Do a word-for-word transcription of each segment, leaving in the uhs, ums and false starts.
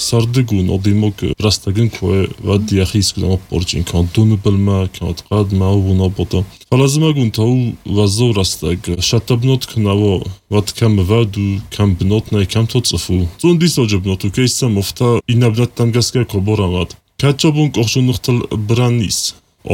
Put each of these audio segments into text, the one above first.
სარდიგუნ ოდიმოგ რასტაგენ ქვე ვადიახის გზამა პორჭინქა დუნბელმა კატყად მაუბუნობოდა ფალაზმაგუნ თაუ ვაზორასტაგ შატაბნოთ ქნავო ვათქამ ვადუ კამბნოტნაი კამთოცფუ ზუნდის ოჯობნოთ უკეისა მოფთა ინაბნათ დამგასკა კობორამად კაჭობუნ კოხშუნუხთლ ბრანის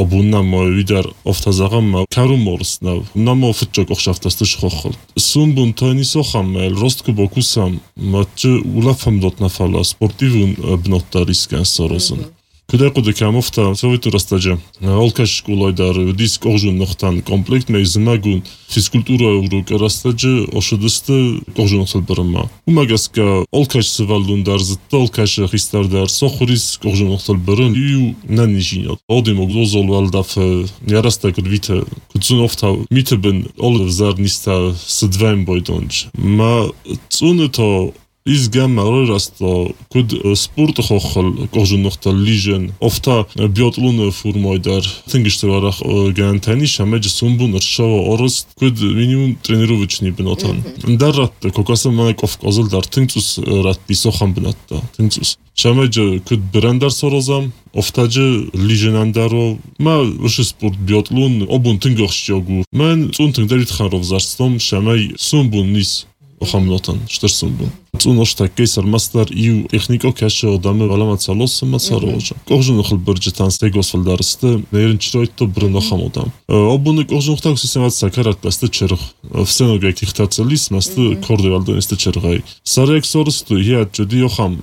ობუნამო ვიდარ ოფთაზაღამ კარუმორს ნავ ნამო ფჭო კოხშაფტასტ შხოხოლ სუმბუნ თონისოხამელ როსტკუბოკუსამ მათ ულაფამდოთ ნაფალა სპორტივუნ ბნოტარისკან სოროზუნ Куда-куда камофта, советурастаджа. Олкаш школайдар, дис кожун нохтан комплект, мей змагун физкультура урок растаджа, ошадысты кожун нохталбарама. Умагаска олкаш сывалундар, зытта олкаш хистардар, сохурис кожун нохталбаран, ию нанижинят. Одим огзозол валдаф, ярастак вита, куцун офта, митебен олвзар ниста сдваем бойдонж. Ма цунето ის გამარო რასტო კუდ სპორტ ხოხალ კოჟუნოხტა ლიჟენ ოფთა ბიოტლუნ ფურმოიდარ თინგიშტვარა განთანი შამეჯ სუმბუნ რშო ოროს კუდ მინიმუმ ტრენიროვიჩნი ბნოთან დარატ კოკასა მანაკოფ კოზლდარ თინცუს რატ ისოხამბნატა თინცუს შამეჯ კუდ ბრანდარ სოროზამ ოფთაჯ ლიჟენანდარო მა ვში სპორტ ბიოტლუნ ობუნ თინგოხშიოგუ მან წუნთინ დერითხაროვ ზარსტომ შამაი სუმბუნ nis охамнотан штарсумбун цуношта кейсар мастар ию технико каше одаме валамаца лос масаровожа кожун хлбыржтан стегосфалдарсты неринчройтто брнохамодам обуны кожун хтак системат сакарат басты черх всенога ихтацелис масты кордевалдонисты чергай сарексорсту я чуди охам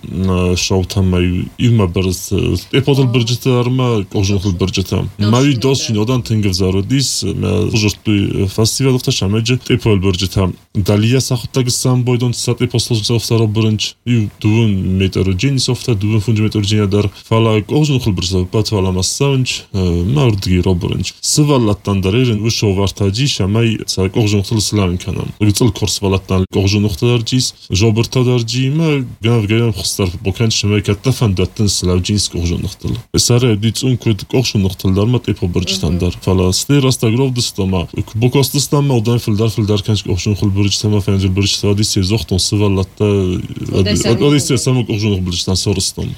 шоутамай има берс эподл быржтарма кожун хлбыржтам мави досчин одан тенгвзародис журту фестивалта шамеж эпол быржтам далия сахта сам бойдон сати послужил второй бранч и двун метр джин софта двун фундаментал джин дар фала кожун хлбрза патвала массанч мардги робранч свалаттан дарерин вышо вартаджи шамай са кожун хлслан канам гыцл курс валаттан кожун хтарджис жобртадарджи ма гав гам хстар бокан шамай каттафандаттан славджинс кожун хтал сара дицун код кожун хталдар мат эпо биржтандар фала стирастагровдстома бокостстама одан филдар филдар канч кожун хлбржтама фанжил Садись зохтон сываллатта одессе самок ожонох билштан сорыстом